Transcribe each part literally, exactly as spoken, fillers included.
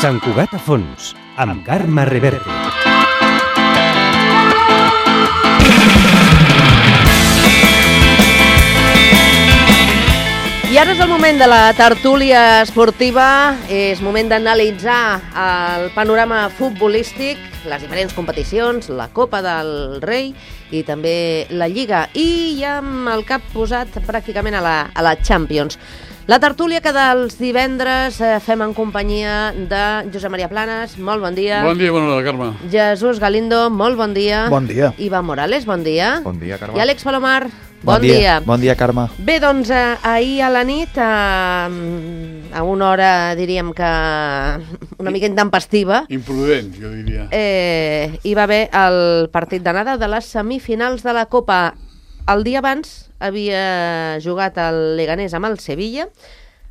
Sant Cugat a fons, amb Carme Reverte. I ara és el moment de la tertúlia esportiva, és moment d'analitzar el panorama futbolístic, les diferents competicions, la Copa del Rei i també la Lliga, i ja amb el cap posat pràcticament a la, a la Champions. La tertúlia que dels divendres eh, fem en companyia de Josep Maria Planes, molt bon dia. Bon dia, bona hora, Carme. Jesús Galindo, molt bon dia. Bon dia. Iván Morales, bon dia. Bon dia, Carme. I Àlex Palomar, bon, bon dia. dia. Bon dia, Carme. Bé, doncs eh, ahir a la nit, eh, a una hora diríem que una mica intempestiva, Imprudent, jo diria. eh, hi va haver el partit d'anada de les semifinals de la Copa. El dia abans havia jugat el Leganés amb el Sevilla,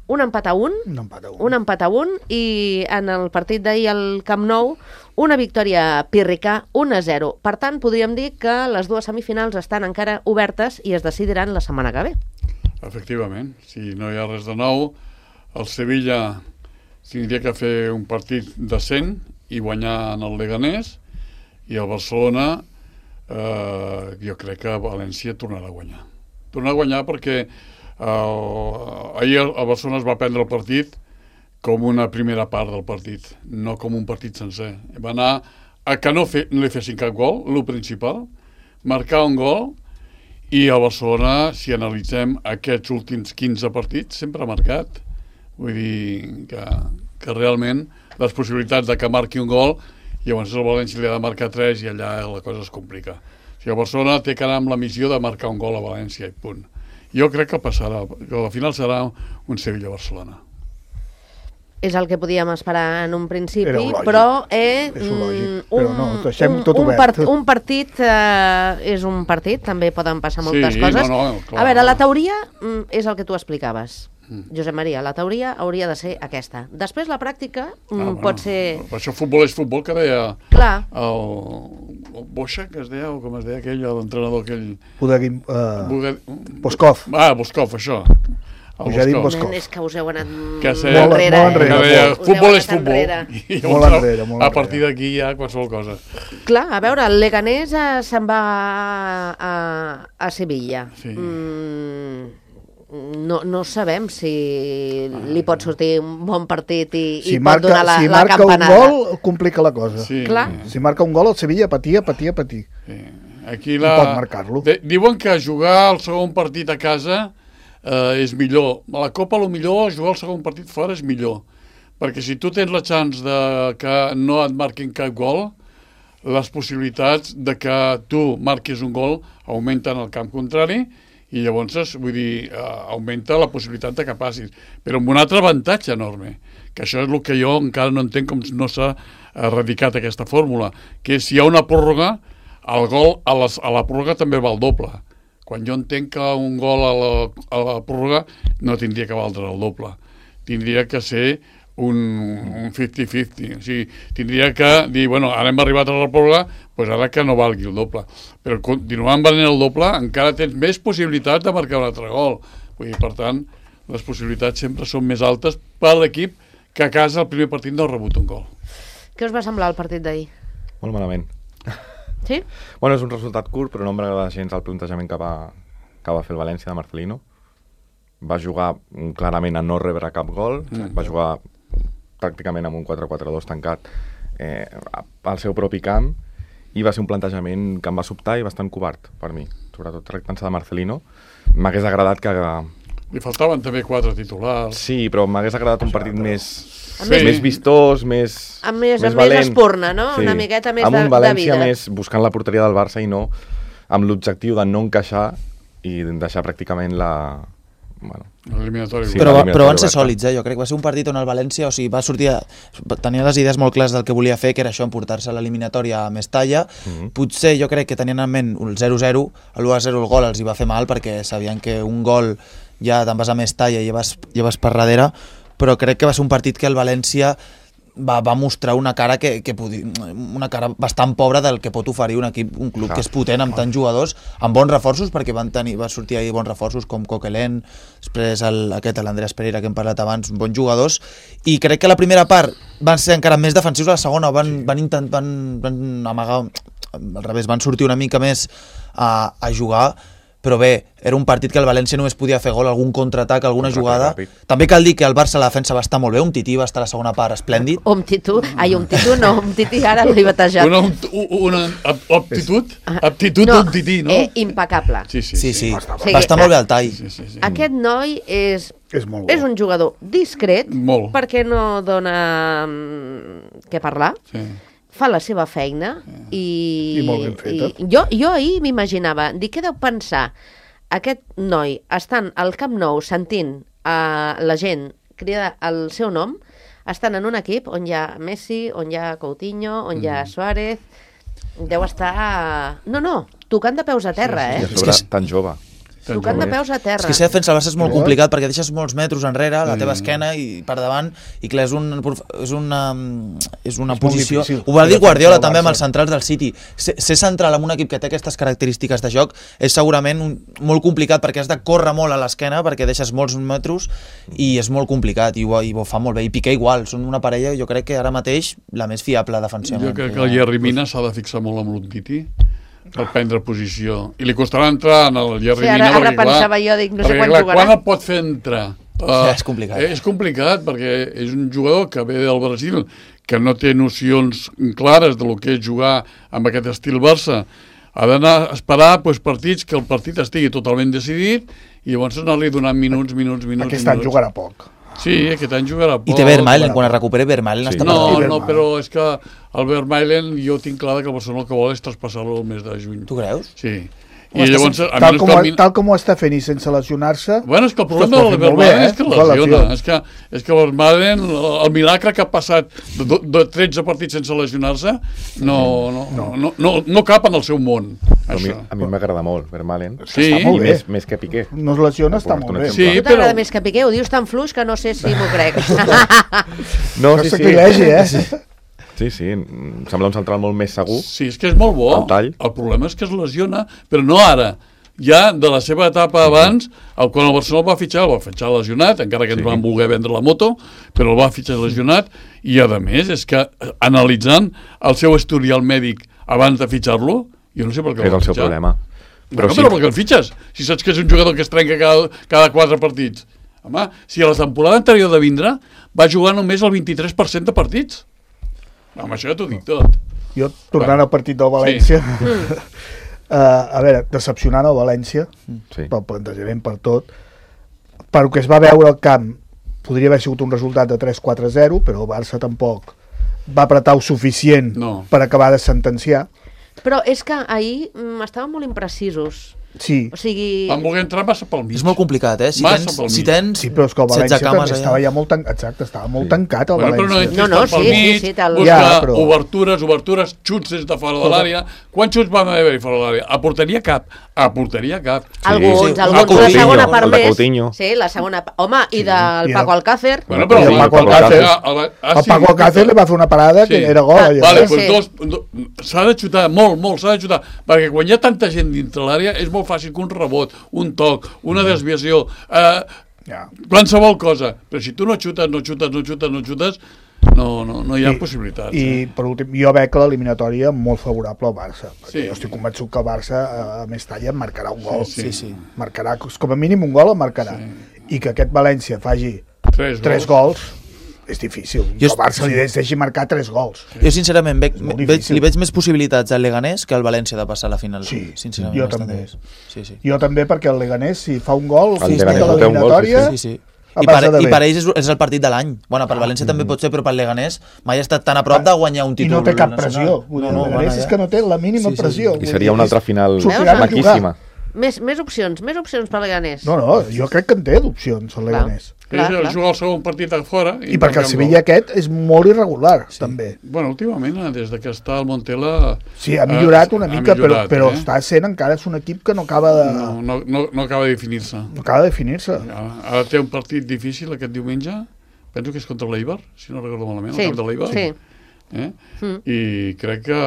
un empat a un, Un empat a un. un empat a un, i en el partit d'ahir al Camp Nou, una victòria pírrica, un a zero. Per tant, podríem dir que les dues semifinals estan encara obertes i es decidiran la setmana que ve. Efectivament, si no hi ha res de nou, el Sevilla tindria que fer un partit decent i guanyar en el Leganés, i el Barcelona, eh, jo crec que València tornarà a guanyar. Tornarà a guanyar perquè eh, ahir el Barcelona es va prendre el partit com una primera part del partit, no com un partit sencer. Va anar a que no, fe, no li fessin cap gol, el principal, marcar un gol, i el Barcelona, si analitzem aquests últims quinze partits, sempre ha marcat. Vull dir que, que realment les possibilitats de que marqui un gol, i llavors el València li ha de marcar tres i allà la cosa es complica. O sigui, el Barcelona té que anar amb la missió de marcar un gol a València i punt. Jo crec que passarà, que al final serà un Sevilla-Barcelona. És el que podíem esperar en un principi, Era lògic. però eh, És lògic, un, però no, deixem un, tot un, obert. part, un partit eh, és un partit, també poden passar moltes Sí, coses. no, no, clar. A veure, la teoria mm, és el que tu explicaves, Josep Maria, la teoria hauria de ser aquesta. Després la pràctica mm, Ah, bueno, pot ser... Per això futbol és futbol, que deia Clar, el, el Boixa, que es deia, o com es deia aquell, l'entrenador aquell... Podeguim... Uh, Bugue- Boskov. Ah, Boskov, això. El Us ha dit Boskov. Boskov. nen, és que us heu anat Que molt sé- Molt- enrere. molt enrere, Que eh? deia, Us heu futbol és anat futbol. enrere. I Molt llavors, enrere, molt a enrere. partir d'aquí hi ha qualsevol cosa. Clar, a veure, el Leganés eh, se'n va a, a Sevilla. Sí. Mm, no, no sabem si li pot sortir un bon partit i, Si i pot marca, donar la, si la marca un campanada. gol, complica la cosa. Sí. Clar. Si marca un gol, el Sevilla patia, patia, patia. Sí. Aquí la... pot marcar-lo. De, diuen que jugar el segon partit a casa eh, és millor. A la Copa, el millor, jugar el segon partit fora és millor. Perquè si tu tens la chance de que no et marquin cap gol, les possibilitats de que tu marquis un gol augmenten al camp contrari, i llavors, vull dir, eh, augmenta la possibilitat de que passis. Però amb un altre avantatge enorme, que això és el que jo encara no entenc com no s'ha erradicat aquesta fórmula, que és si hi ha una pròrroga, el gol a, les, a la pròrroga també val doble. Quan jo entenc que un gol a la, a la pròrroga no tindria que valdre el doble. Tindria que ser un, un cinquanta cinquanta. O sigui, tindria que dir, bueno, ara hem arribat a la pròrroga, doncs ara que no valgui el doble. Però continuant valent el doble, encara tens més possibilitats de marcar un altre gol. Vull dir, per tant, les possibilitats sempre són més altes per l'equip que a casa el primer partit no ha rebut un gol. Què us va semblar el partit d'ahir? Molt malament. Sí? Bueno, és un resultat curt, però no em va agradar gens el plantejament que va, que va fer el València de Marcelino. Va jugar mm, clarament a no rebre cap gol, Mm. va jugar pràcticament amb un quatre quatre dos tancat eh, al seu propi camp, i va ser un plantejament que em va sobtar i bastant covard per mi, sobretot tractant-se de Marcelino. M'hagués agradat que... Li faltaven també quatre titulars. Sí, però m'hagués agradat un partit més, Amb Sí. més vistós, més, Amb més, més amb més valent. espurna, no? Una miqueta més amb de, un de València vida. més buscant la porteria del Barça i no amb l'objectiu de no encaixar i deixar pràcticament la... Bueno, L'eliminatori. Sí, Però, va- l'eliminatori però van ser oberta. sòlids, eh? Jo crec que va ser un partit on el València, o sigui, va sortir a, tenia les idees molt clares del que volia fer, que era això, emportar-se l'eliminatòria a Mestalla. Mhm. Potser jo crec que tenien en ment el zero zero, l'u a zero el gol els hi va fer mal, perquè sabien que un gol ja te'n vas a Mestalla i ja vas, ja vas per darrere, però crec que va ser un partit que el València va, va mostrar una cara que, que podi, una cara bastant pobra del que pot oferir un equip, un club que és potent amb tants jugadors, amb bons reforços, perquè van tenir, va sortir ahir bons reforços com Coquelin, després el, aquest l'Andreas Pereira que hem parlat abans, bons jugadors, i crec que la primera part van ser encara més defensius, a la segona van, sí. van, intent, van, van amagar, al revés, van sortir una mica més a, a jugar, però bé, era un partit que el València només podia fer gol, algun contraatac, alguna jugada. També cal dir que el Barça la defensa va estar molt bé, un Tití va estar a la segona part esplèndid. Omtitú, ai, Omtitú no, Omtití ara l'he batejat. Una, una aptitud, aptitud no, d'un Tití, no? Eh, impecable. Sí, sí, Sí, sí. sí, sí. Va estar molt bé al tall. Sí, sí, sí. Aquest noi és, És molt bo. és un jugador discret, Molt. perquè no dona mm, què parlar. Sí. Fa la seva feina i, I molt ben feta. i jo, jo ahir m'imaginava, dic, què deu pensar aquest noi estant al Camp Nou sentint a la gent cridar el seu nom, estan en un equip on hi ha Messi, on hi ha Coutinho, on hi ha Suárez, deu estar... No, no, tocant de peus a terra, I a eh? sobre tan jove. Tocant de peus a terra. És que ser defensa al Barça és molt complicat perquè deixes molts metres enrere, a la teva Sí. esquena i per davant, i clar, és, un, és una, és una És molt posició... difícil. Ho va dir Guardiola Defensar el també amb Barça. els centrals del City. Ser, ser central en un equip que té aquestes característiques de joc és segurament un, molt complicat perquè has de córrer molt a l'esquena perquè deixes molts metres i és molt complicat i ho, i ho fa molt bé. I Piqué igual, són una parella, jo crec que ara mateix la més fiable defensivament. Jo crec que el Jerry Mina s'ha de fixar molt amb l'Umtiti per prendre posició. I li costarà entrar en el Jerry Sí, ara- Mina ara perquè, pensava clar, jo, dic, no sé perquè, quan clar, jugarà. quan el pot fer entrar? Uh, És complicat. És complicat perquè és un jugador que ve del Brasil, que no té nocions clares de lo que és jugar amb aquest estil Barça. Ha d'anar a esperar doncs, partits que el partit estigui totalment decidit i llavors anar-li donant minuts, minuts, minuts. Aquest any minuts. jugarà poc. Sí, aquest any jugarà poc. I té Vermaelen, quan es recuperi Vermaelen Sí. està No, per no, però és que el Vermaelen jo tinc clar que el Barcelona el que vol és traspassar-lo el mes de juny. Tu creus? Sí. Home, I està llavors, sent- a Tal menys com, que ho, el min- tal com ho està fent i sense lesionar-se... Bueno, és que el Ostres, problema ho ha del fet molt bé, Vermaelen eh? és que Fa lesiona. lesió. És que, és que el Vermaelen, el milagre que ha passat de, de tretze partits sense lesionar-se, no, no, no, no, no, no cap en el seu món. Però a mi, Això. a mi m'agrada molt, Vermaelen. Sí, Està molt I bé. més, més que Piqué. No es lesiona, està Per molt posar-te bé. un Sí, A tu t'agrada però- més que Piqué? Ho dius tan fluix que no sé si m'ho crec. No, No sí, sé sí. qui hi hagi, eh? Sí, sí, em sembla un central molt més segur. Sí, és que és molt bo. El tall. El problema és que es lesiona, però no ara. Ja de la seva etapa abans, el, quan el Barcelona el va fitxar, el va fitxar lesionat, encara que ens Sí. van voler vendre la moto, però el va fitxar lesionat, i a més és que eh, analitzant el seu historial mèdic abans de fitxar-lo, jo no sé per què És va el seu fitxar. problema. Però, Però sí. sí, però per què el fitxes? Si saps que és un jugador que es trenca cada, cada quatre partits. Home, si a la temporada anterior de vindre va jugar només el vint-i-tres per cent de partits. Amb això ja t'ho dic tot. Jo, tornant al partit del València... Uh, a veure, decepcionant el València, sí. pel plantejament, per tot. Pel que es va veure al camp, podria haver sigut un resultat de tres quatre zero, però el Barça tampoc va apretar el suficient No. per acabar de sentenciar. Però és que ahir mm, estaven molt imprecisos. Sí, O sigui... Van voler entrar massa pel mig. És molt complicat, eh? Si Massa tens, pel si mig. tens sí, però és que el València setze cames també estava allà. ja molt, tan... Exacte, estava molt Sí. tancat el Bueno, però no València. entris No, no, tant pel sí, mig, sí, sí, tal- busca Ja, però- obertures, obertures, xuts des de fora de l'àrea. Quants xuts van haver-hi fora de l'àrea? A porteria cap. A porteria cap. Alguns, sí. alguns, Ah, la Coutinho, segona part el de més. Coutinho. Sí, la segona part. Home, i del I Paco el- Alcácer. Bueno, però I el el Paco Paco Alcácer. Alcácer- ah, El sí. Paco Alcácer li va fer una parada que Sí. era gol. Ah, allò. Vale, Sí, doncs sí. dos, do- s'ha de xutar molt, molt, s'ha de xutar, perquè quan hi ha tanta gent dintre l'àrea és molt fàcil que un rebot, un toc, una desviació, eh, Ja. qualsevol cosa, però si tu no xutes, no xutes, no xutes, no xutes, no, no, no hi ha I- possibilitats. I eh? per últim, jo veig l'eliminatòria molt favorable al Barça, perquè Sí. jo estic convençut que el Barça a, a més talla marcarà un gol. Sí, Sí, sí. Marcarà, com a mínim un gol el marcarà. I que aquest València faci Tres tres gols. gols és difícil. Jo Jo el est- Barça li deixi marcar tres gols. Jo sincerament veig, molt veig, difícil. li veig més possibilitats al Leganés que al València de passar a la final. Sí, sincerament, jo bastant també. més. Sí, sí. Jo també, perquè el Leganés, si fa un gol, El si Leganés està a no té un gol, l'eliminatòria... Sí, sí. el I per, Barça de I bé. per ells és, és el partit de l'any. Bueno, per València també pot ser, però per Leganés mai ha estat tan a prop de guanyar un I títol no té cap nacional. pressió. Vull dir, No, no, el van Leganés allà. és que no té la mínima Sí, sí. pressió. I Vull seria dir, una és- altra final sortiran a jugar. maquíssima. Més, més opcions, més opcions per Leganés. No, no, jo crec que en té d'opcions, el Leganés. Clar, Ell clar. juga el segon partit a fora. I perquè el marca un Sevilla gol. aquest és molt irregular, també. Bueno, últimament, eh, des de que està el Montela... Sí, ha millorat una ha mica, millorat, però, però eh? està sent encara és un equip que no acaba de, No, no, no, no acaba de definir-se. no acaba de definir-se. Ara, ara té un partit difícil aquest diumenge, penso que és contra l'Eibar, si no recordo malament, Sí, el camp de l'Eibar. sí. Eh? Mm. I crec que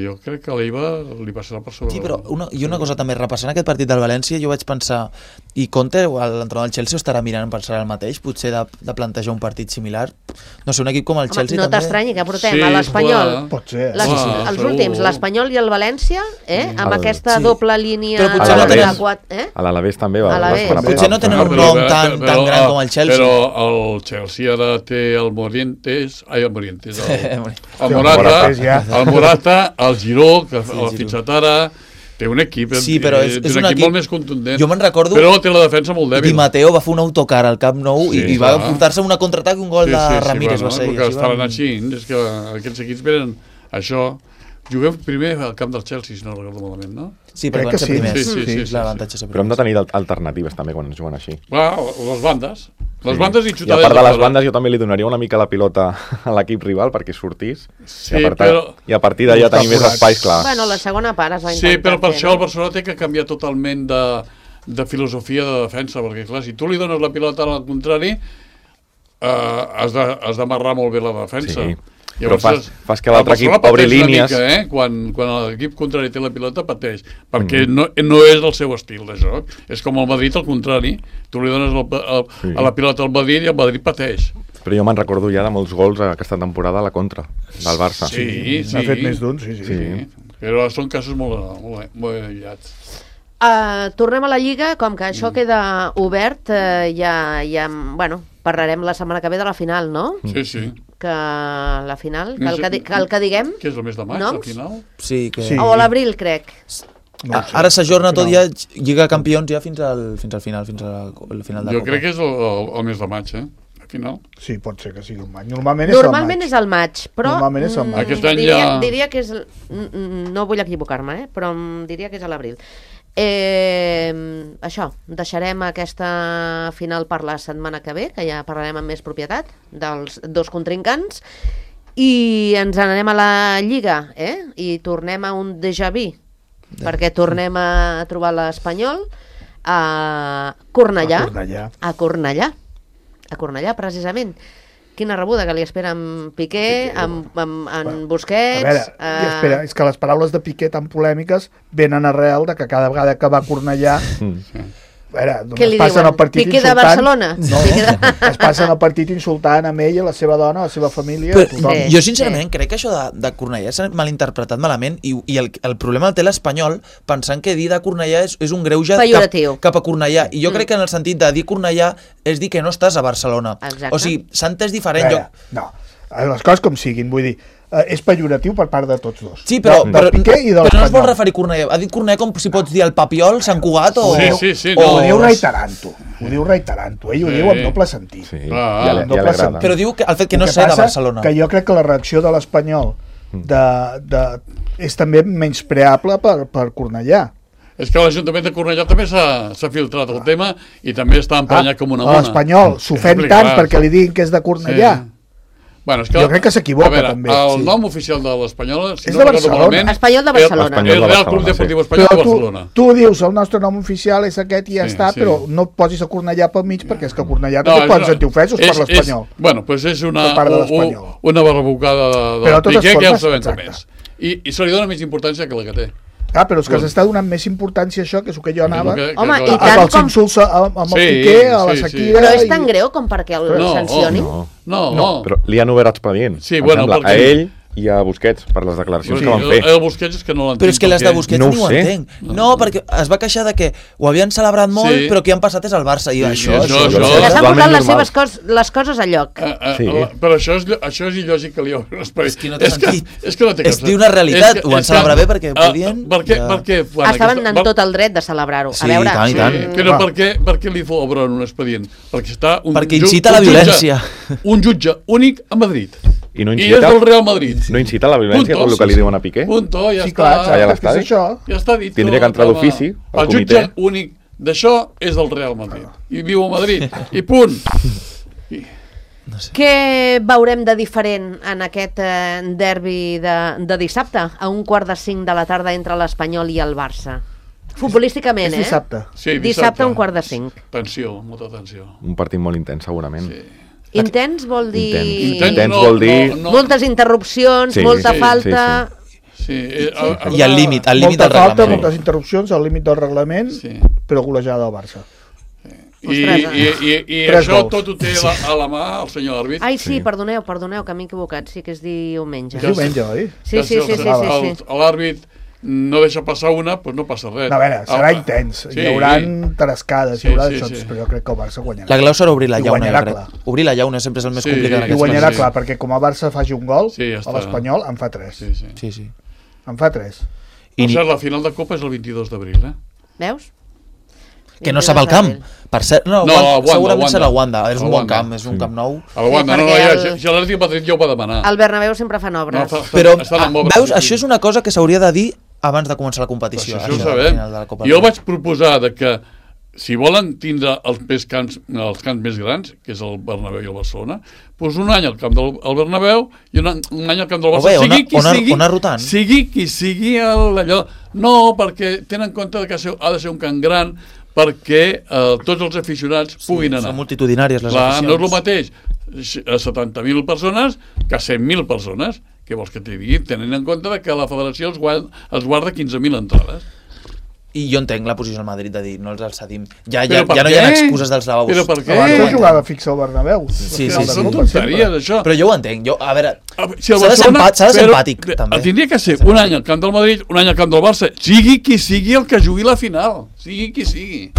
jo crec que l'Eibar li passarà per sobre. Sí, però una, i una cosa també, repassant aquest partit del València, jo vaig pensar, i Conte, l'entrenador del Chelsea, estarà mirant pensar el mateix, potser de, de plantejar un partit similar? No sé, un equip com el Home, Chelsea no també... t'estranyi que portem Sí, a l'Espanyol, clar. Pot ser. les, Clar, els segur. últims, l'Espanyol i el València, eh? amb El- aquesta sí. doble línia Però potser de no tenen- quatre, eh? A l'Alavés també va... A l'Alavés. va esperar Potser no tenen un Però- nom però- tan, però- tan gran com el Chelsea. Però el Chelsea ara té el Morientes, ai, el Morientes, el, el el Morata, Morates ja. el Morata, el Giró, que Sí, l'ha Giró. fitxat ara, té un equip, Sí, però és- té és un, un equip, equip- molt més contundent. Jo me'n recordo- Però té la defensa molt Di dèbil. Matteo va fer un autocar al Camp Nou Sí, i, i va clar. portar-se una contraatac i un gol de Ramírez, va ser. El i que així estaven van- així, és que aquests equips venen això. Juguem primer al camp del Chelsea, si no recordo malament, no? Sí, Crec però que van ser sí. primers. Sí, sí, sí, sí, L'avantatge és ser Però hem de primers. tenir al- alternatives també quan es juguen així. Va, les bandes. Les Sí. bandes i I a xutades. part de les fora. bandes jo també li donaria una mica la pilota a l'equip rival perquè sortís Sí, i, a part, però- i a partir d'allà tenir més Forat. espais, clar. Bueno, la segona part es va Sí, intentar però per fer, això no? el Barcelona té que canviar totalment de, de filosofia de defensa, perquè clar, si tu li dones la pilota al contrari, eh, has de- has d'amarrar molt bé la defensa. Sí, però fas- és- fas que l'altre el Barcelona equip obri pateix una línies. Mica, eh? quan, quan l'equip contrari té la pilota pateix, perquè mm. no, no és el seu estil de joc. És com el Madrid al contrari, tu li dones el, el, Sí. a la pilota al Madrid i el Madrid pateix. Però jo me'n recordo ja de molts gols aquesta temporada a la contra del Barça. Sí, sí. N'ha fet més d'un, sí, sí. Sí. Sí. Però són casos molt, molt, molt aïllats. Uh, tornem a la Lliga, com que això queda obert, uh, ja, ja, bueno, parlarem la setmana que ve de la final, no? Sí, sí. Que la final, que No el sé- que, di- que, el que diguem, Què és el mes de maig, Noms? al final? Sí, que... Sí. o a l'abril, crec. No ho A- sé. Ara s'ajorna tot No. ja, Lliga Campions ja fins al, fins al final, fins al al final de Jo Copa. crec que és el, el, el mes de maig, eh? Al final. Sí, pot ser que sigui un maig. Normalment, Normalment és és al maig, però Normalment és al mm, maig. Aquest any diria, ja- diria que és... el- mm, mm, No vull equivocar-me, eh? Però mm, diria que és a l'abril. Eh, això, deixarem aquesta final per la setmana que ve, que ja parlarem amb més propietat dels dos contrincants, i ens n'anem a la Lliga, eh? I tornem a un déjà vu, perquè tornem a trobar l'Espanyol a Cornellà. A Cornellà. A Cornellà. A Cornellà, precisament. Quina rebuda que li espera amb Piqué, amb, amb, amb Busquets... A veure, eh, i espera, és que les paraules de Piqué tan polèmiques venen arrel de que cada vegada que va a Cornellà... A veure, Què només li passen diuen? el partit Piqué de insultant... Barcelona? No, Piqué de- es passen el partit insultant amb ell, a la seva dona, a la seva família, Però, a tothom. Sí. jo sincerament crec que això de, de Cornellà s'ha malinterpretat malament i, i el, el problema el té l'Espanyol pensant que dir de Cornellà és, és un greuge Pejoratiu. cap, cap a Cornellà i jo Mm. crec que en el sentit de dir Cornellà és dir que no estàs a Barcelona. Exacte. O sigui, s'ha entès A diferent. veure, Jo... no, les coses com siguin, vull dir, eh, és pejoratiu per part de tots dos. Sí, però, de, però, del Piqué i de però no es vol l'Espanyol. referir a Cornellà. Ha dit Cornellà com si pots dir el Papiol, Sant Cugat o... Sí, sí, sí, o- no. Ho diu reiterant-ho, ho diu reiterant-ho, ell ho Sí. diu amb doble sentit. Sí, Ah, ja, li- doble ja li agrada. sentit. Però diu que el fet que no El sé de passa Barcelona. Que jo crec que la reacció de l'Espanyol de, de, és també menyspreable per, per Cornellà. És que l'Ajuntament de Cornellà també s'ha s'ha filtrat el tema i també està emprenyat com una mona. L'Espanyol s'ofèn Sí, tant clar. perquè li diguin que és de Cornellà. Sí. Bueno, és que, Jo crec que s'equivoca, a veure, també. El Sí. nom oficial de l'Espanyol, si És no de recordo Barcelona. malament, Espanyol de Barcelona. És Espanyol de el Real Barcelona, Club Deportiu sí. Espanyol Però de tu, Barcelona. tu dius el nostre nom oficial és aquest i ja Sí, està, sí. però no et posis a Cornellà pel mig perquè és que a Cornellà No, també és poden una- sentir ofesos és- per l'Espanyol. és- Bueno, doncs és una, Per part de u- l'Espanyol. u- una barbabucada de, de Però de totes Piqué que ja ho formes, sabem com exacte. és. I, I se li dona més importància que la que té. Ah, però és que Bueno. s'està donant més importància a això, que és el que jo anava, Que- que- Home, que- i a, tant a, als com- insults a- amb el Sí, Piqué, a la sí, sí. Shakira... Però és tan i- greu com perquè el No, sancionin? No, No, no, no. però li han obert expedient, Sí, em bueno, sembla, perquè- a ell i a Busquets per les declaracions Sí, que van el, fer. el Busquets és que no l'entenc. Però és que les de perquè- Busquets No ni ho ho sé. entenc. No, perquè es va queixar de que ho havien celebrat molt, Sí. però que han passat és al Barça. I Sí, això, això- això, això- això, Que s'han Totalment posat les normal. seves cos, les coses a lloc. Eh, eh, Sí. la- però això és, això és il·lògic que li obrin l'esperit. És que no té és que, sentit. és que no té És cap dir una realitat, és ho van és celebrar bé perquè ah, podien, Per què? ja. Per què fan Estaven aquesta- en per- tot el dret de celebrar-ho. Sí, A veure, i tant, i Sí, tant. però Va. per què, per què li obren un expedient? Perquè està un Perquè ju- incita un la jutge- violència. Un jutge únic a Madrid. I no I és incita, del Real Madrid. no incita la violència Punto, com el que sí, li sí. diuen a Piqué? Punto, ja Sí, està. clar, Allà a exacte, l'estadi. és això. Ja està dit. Tindria tot, que entrar home. d'ofici al El jutge comitè. únic d'això és del Real Madrid. I viu a Madrid. I punt. I, què veurem de diferent en aquest eh, derbi de, de dissabte, a un quart de cinc de la tarda entre l'Espanyol i el Barça? Futbolísticament, És eh? dissabte. sí, Dissabte a un quart de cinc. Tensió, molta tensió. Un partit molt intens, segurament. Sí. Intens vol dir... Intens. Intens Intens no, vol dir... no, no. Moltes interrupcions, Sí, molta sí, falta... Sí, eh, a- a- I al límit, al límit Molta del falta, reglament. moltes interrupcions, al límit del reglament, Sí. però golejada del Barça. I, i, i, i Tres això gols. tot ho té la, a la mà el senyor àrbit. Ai, sí, Sí. perdoneu, perdoneu, que m'he equivocat, sí que és diumenge. És diumenge, oi? Sí, sí, sí, sí, sí, El- sí. L'àrbit no deixa passar una, doncs no passa res. No, a veure, serà Ah, intens. sí. Hi haurà tarescades, Sí, hi haurà sí, xocs, sí. però jo crec que el Barça guanyarà. La clau serà obrir la I llauna, guanyarà jo crec. clar. Obrir la llauna sempre és el més Sí, complicat en I aquests guanyarà sí. clar, perquè com el Barça faci un gol, Sí, ja a està. l'Espanyol en fa tres. Sí, sí. Sí, sí. En fa tres. Per I ni- cert, la final de Copa és el vint-i-dos d'abril, eh? Veus? Que no sap el camp. Per cert, no, No, Wanda, a Wanda, segurament Wanda. serà Wanda. És A un bon Wanda. camp, és un camp nou. A la Wanda, Sí, no, no, perquè ja, el- ja l'Atlètic de Madrid ja ho va demanar. Al Bernabéu sempre fan obres. No, fa- Però, estan en ah, obres, veus, sí, això sí. és una cosa que s'hauria de dir abans de començar la Però competició. això, això això ho del sabem. final de la Copa Jo del Rei. vaig proposar de que si volen tindre els, més camps, els camps més grans, que és el Bernabéu i el Barcelona, doncs un any al camp del el Bernabéu i un, any- un any al camp del O Barça. bé, sigui ona- qui ona- sigui, ona rotant. sigui qui sigui el, allò. No, perquè tenen en compte que ha de ser un camp gran perquè eh, tots els aficionats puguin anar. Són multitudinàries les Clar, aficions. no és el mateix a setanta mil persones que a cent mil persones. Què vols que t'hi digui? Tenint en compte que la federació els guarda, els guarda quinze mil entrades. I jo entenc la posició del Madrid de dir no els cedim. Ja, ja, Però per ja no hi ha què? excuses dels lavabos. Però per què? Abans Eh. no jugava fix al Bernabéu. Sí, Al sí, final Són de Copa, tonteries, sempre. això. Però jo ho entenc. Jo, a veure, A veure, si el s'ha de ser Barcelona- empat- s'ha de ser però, empàtic, eh, també. Tindria que ser un any al camp del Madrid, un any al camp del Barça, sigui qui sigui el que jugui la final, sigui qui sigui.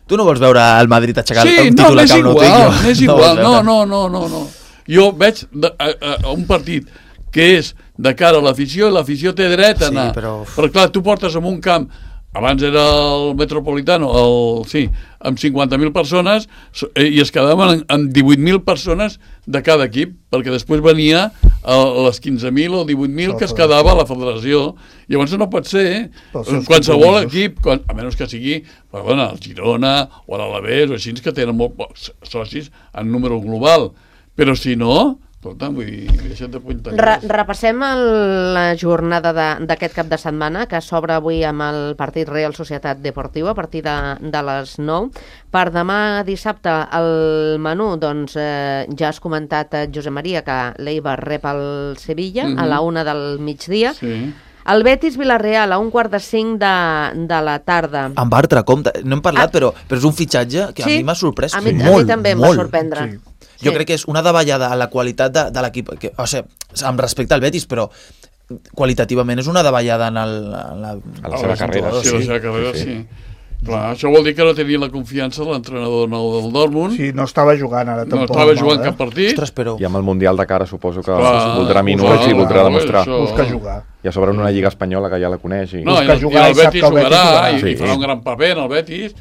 tu no vols veure el Madrid aixecar Sí, un no, títol a m'és Camp Nou, igual, tio. m'és No igual, vols no, veure. no, no, no, no. Jo veig de, a, a un partit que és de cara a l'afició i l'afició té dret a Sí, anar. però- Però clar, tu portes en un camp, abans era el Metropolitano, el, sí, amb cinquanta mil persones so- eh, i es quedaven en, en divuit mil persones de cada equip, perquè després venia a les quinze mil o divuit mil que es quedava a la federació. Llavors no pot ser, eh? Pels seus Qualsevol compromisos. equip, quan, a menys que sigui perdona, el Girona o l'Alavés o així, que tenen molts pocs socis en número global. Però si no, escolta, vull dir, deixa't de puntar. Re repassem el, la jornada de- d'aquest cap de setmana, que s'obre avui amb el partit Real Societat Deportiva a partir de, de les nou. Per demà dissabte el menú, doncs eh, ja has comentat, eh, Josep Maria, que l'Eibar rep el Sevilla Mhm. a la una del migdia. Sí. El Betis-Villarreal a un quart de cinc de, de la tarda. Amb Bartra, compte. No hem parlat, Ah. però, però és un fitxatge que Sí, a mi m'ha sorprès a mi- a mi molt, també em va molt. sorprendre. Sí. Jo Sí. crec que és una davallada a la qualitat de, de l'equip, que, o sigui, amb respecte al Betis, però qualitativament és una davallada en, el, en la, A la seva els carrera, jugadors, Sí, la seva carrera, Sí, sí. sí. Clar, això vol dir que no tenia la confiança de l'entrenador nou del Dortmund, Sí, no estava jugant ara no tampoc. estava mal, jugant eh? cap partit. Ostres, però... I amb el Mundial de cara suposo que Clar, voldrà busca minuts i jugar, voldrà demostrar. això. Busca jugar. I a sobre en una lliga espanyola que ja la coneix. I... No, i, busca el, i jugar el i sap Betis que el Betis jugarà jugarà. i, Sí. i farà un gran paper en el Betis,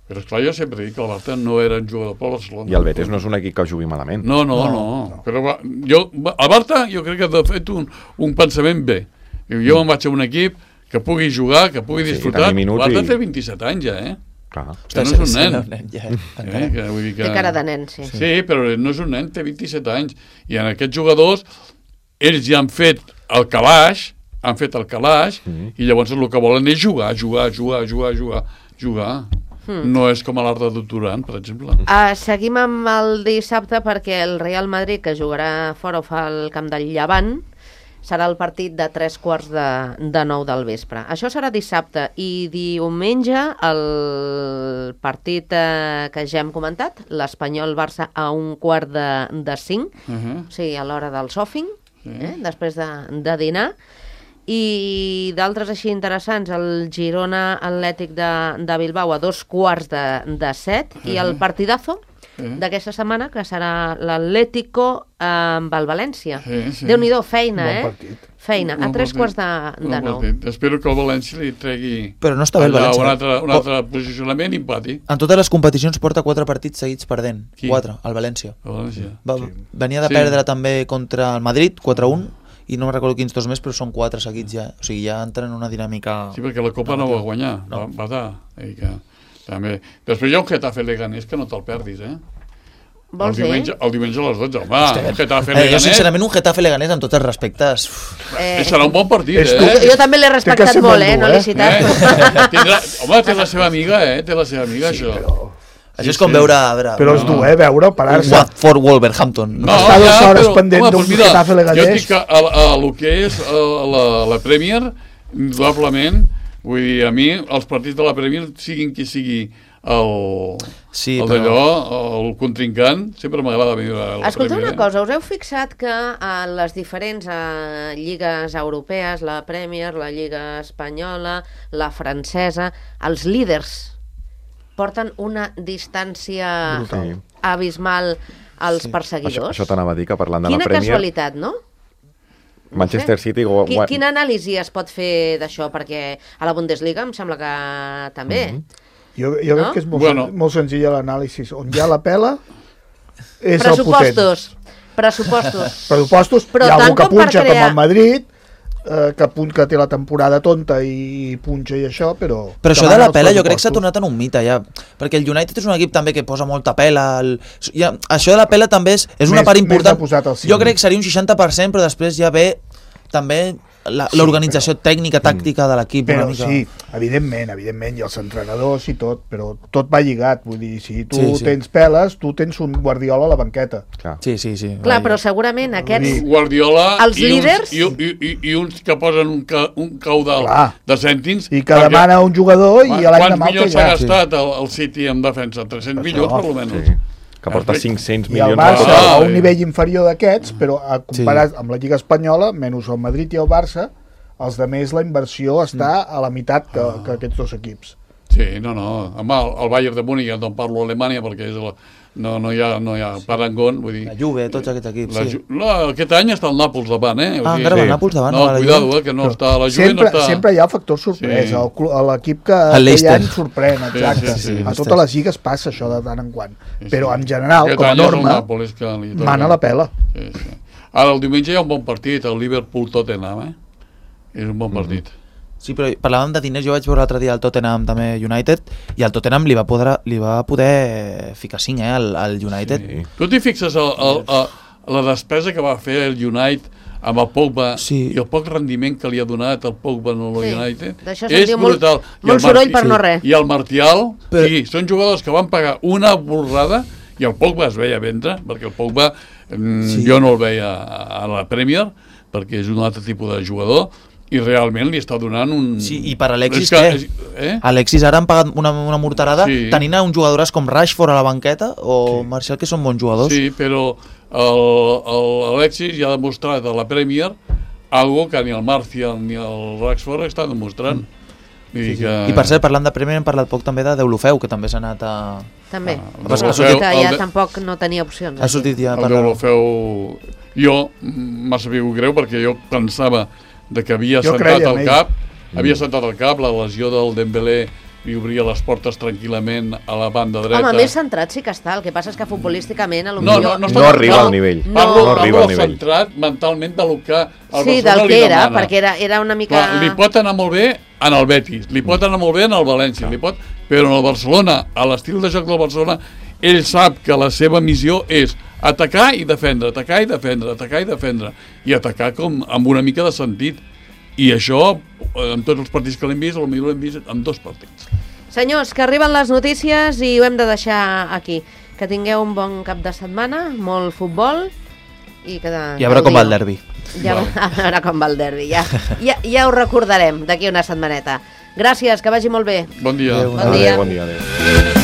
però esclar, jo sempre dic que el Barça no era un jugador pel Barcelona. I el Betis no és un equip que jugui malament. No, no, no. no. Però va, jo, el Barça jo crec que ha fet un, un pensament bé. Jo Mm. me'n vaig a un equip que pugui jugar, que pugui Sí, disfrutar. tenir minuts El Barça i- té vint-i-set anys ja, eh? Clar. Que no és un nen. nen ja, eh? encara. Que, vull dir que... Té cara de nen, sí. Sí, però no és un nen, té vint-i-set anys. I en aquests jugadors, ells ja han fet el calaix, han fet el calaix, Mm. i llavors el que volen és jugar, jugar, jugar, jugar, jugar, jugar. Mm. No és com a l'art de Duran, per exemple. Uh, seguim amb el dissabte perquè el Real Madrid, que jugarà fora o fa el camp del Llevant, serà el partit de tres quarts de, de nou del vespre. Això serà dissabte i diumenge el partit eh, que ja hem comentat, l'Espanyol-Barça a un quart de, de cinc, Uh -huh. o sigui, a l'hora del sòfing, Sí. eh, després de, de dinar. I d'altres així interessants, el Girona Atlètic de, de Bilbao a dos quarts de, de set, i el partidazo Sí. d'aquesta setmana, que serà l'Atlético amb el València. Sí, sí. Déu-n'hi-do, feina, Bon eh? partit. Feina, a Bon tres partit. quarts de, de Bon nou. partit. Espero que el València li tregui Però no està bé el allà València. un altre, un Oh. altre posicionament i empati. En totes les competicions porta quatre partits seguits perdent. Qui? Quatre, el València. El València. Va, Sí. Venia de Sí. perdre també contra el Madrid, quatre a un, i no me'n recordo quins dos més, però són quatre seguits ja. O sigui, ja entren en una dinàmica... Sí, perquè la Copa no va guanyar, No. va, va dar. I que, també. Després hi ha un Getafe Leganés que no te'l perdis, eh? Vols el, dir? diumenge, el diumenge a les dotze, home, un Getafe Eh, jo, Leganés. sincerament, un Getafe Leganés, amb tots els respectes... uf, Eh, Serà un bon partit, És eh? tu. jo, jo també l'he Té que respectat ser molt, molt eh? dur, No eh? l'he citat. Eh? Tindrà, home, té la seva amiga, eh? Té la seva amiga, Sí, això. però... Això és com veure... A veure Però és dur, eh, veure, parar-se. Watford Wolverhampton. No, Està dues ja, hores però, pendent home, d'un doncs mira, Getafe Leganés. Jo dic que a, a, a lo que és a, la, la Premier, indudablement, vull dir, a mi, els partits de la Premier, siguin qui sigui el, Sí, el però- d'allò, el contrincant, sempre m'agrada veure la Escolta Premier. una cosa, us heu fixat que a les diferents eh, lligues europees, la Premier, la Lliga Espanyola, la francesa, els líders porten una distància Brutal. abismal als Sí. perseguidors? Això, això t'anava a dir, que parlant de Quina la Premier... casualitat, no? No Manchester sé. City... Go, Qui, gua- quina anàlisi es pot fer d'això? Perquè a la Bundesliga em sembla que també. Mhm. Jo, jo No? crec que és molt, Bueno. sen molt senzill l'anàlisi. On hi ha la pela és el potent. Pressupostos. Pressupostos. Pressupostos. Però Hi ha algú tant que com per punxa crear- com el Madrid, eh, que, punt, que té la temporada tonta i punxa i això, però... Però això que de van la els pela jo crec que s'ha pressupostos. tornat en un mite ja, perquè el United és un equip també que posa molta pela, el... ja, això de la pela també és, és una Més- part més important, ha posat el jo símbol. crec que seria un seixanta per cent, però després ja ve també la- l'organització tècnica, tàctica de l'equip una Però mica. sí, evidentment, evidentment, i els entrenadors i tot, però tot va lligat, vull dir, si tu Sí, sí. tens peles, tu tens un Guardiola a la banqueta. Clar. Sí, sí, sí. Clar, però segurament aquests... Guardiola Els i, líders? uns, i, i, i, i uns que posen un, ca, un caudal Clar. de cèntims. I que perquè demana un jugador i quan- l'any de Quants mal que milions ja. s'ha gastat el, el City en defensa? tres-cents Això. milions, per almenys. Sí. Que porta cinc-cents I el milions Barça, de Ah, a un sí. nivell inferior d'aquests, però a comparar amb la Lliga Espanyola, menys el Madrid i el Barça, els de més la inversió està a la meitat que, que aquests dos equips. Sí, no, no. Home, el, el Bayern de Múnich, no parlo d'Alemanya perquè és la, no, no, hi ha, no hi ha parangón, vull dir... La Juve, tots aquests equips, La, sí. Ju- no, aquest any està el Nàpols davant, eh? O Ah, sigui, encara va sí. el Nàpols davant, No, no, va la cuidado, Juve. eh, que no està... La Juve Sempre, no està... sempre hi ha el factor sorpresa, Sí. el clu- a l'equip que El aquell Leicester. any sorprèn, exacte. Sí, sí, sí. A totes les lligues passa això de tant en quant. Sí, Però sí. en general, Aquest com a any és el norma, Nàpols que li toca. mana la pela. Sí, sí. Ara, el diumenge hi ha un bon partit, el Liverpool-Tottenham, eh? És un bon partit. Sí, però parlàvem de diners, jo vaig veure l'altre dia el Tottenham també United, i el Tottenham li va poder, li va poder ficar cinc, eh, al, al United. Sí. Tu t'hi fixes el, el, el, la despesa que va fer el United amb el Pogba Sí. i el poc rendiment que li ha donat el Pogba en el Sí. United D'això se'n és diu molt- brutal. I molt el soroll Marti- per no res. I el Martial, Però- sí, són jugadors que van pagar una borrada i el Pogba es veia vendre, perquè el Pogba mm, Sí. jo no el veia a, a la Premier, perquè és un altre tipus de jugador, i realment li està donant un... Sí, i per Alexis És que, què? és- Eh? Alexis ara han pagat una, una morterada Sí. tenint a un jugadores com Rashford a la banqueta o sí. Marcial, que són bons jugadors. Sí, però el, el Alexis ja ha demostrat a la Premier algo que ni el Martial ni el Rashford estan demostrant. Vull dir que... I per cert, parlant de Premier, hem parlat poc també de Deulofeu, que també s'ha anat a... També. Ah, Però el que Deulofeu, ja el de- tampoc no tenia opcions. Ha sortit ja a El parlar. Deulofeu... Jo m'ha sabut greu perquè jo pensava de que havia Jo sentat creia en el ell. cap, havia sentat el cap, la lesió del Dembélé li obria les portes tranquil·lament a la banda dreta. Home, més centrat sí que està, el que passa és que futbolísticament a lo No, millor... no, No arriba al nivell. No, Parlo, no parlo arriba al del nivell. centrat mentalment del que el Sí, Barcelona del li que era, demana. perquè era, era una mica... Clar, li pot anar molt bé en el Betis, li pot anar molt bé en el València, li pot... però en el Barcelona, a l'estil de joc del Barcelona, ell sap que la seva missió és atacar i defendre, atacar i defendre, atacar i defendre, i atacar com amb una mica de sentit. I això, en tots els partits que l'hem vist, potser l'hem vist en dos partits. Senyors, que arriben les notícies i ho hem de deixar aquí. Que tingueu un bon cap de setmana, molt futbol i que... De, I a veure com va el derbi. Ja, a veure com va el derbi, ja, ja, ja ho recordarem d'aquí una setmaneta. Gràcies, que vagi molt bé. Bon dia. Adéu. Bon dia. Adéu, bon dia, adéu.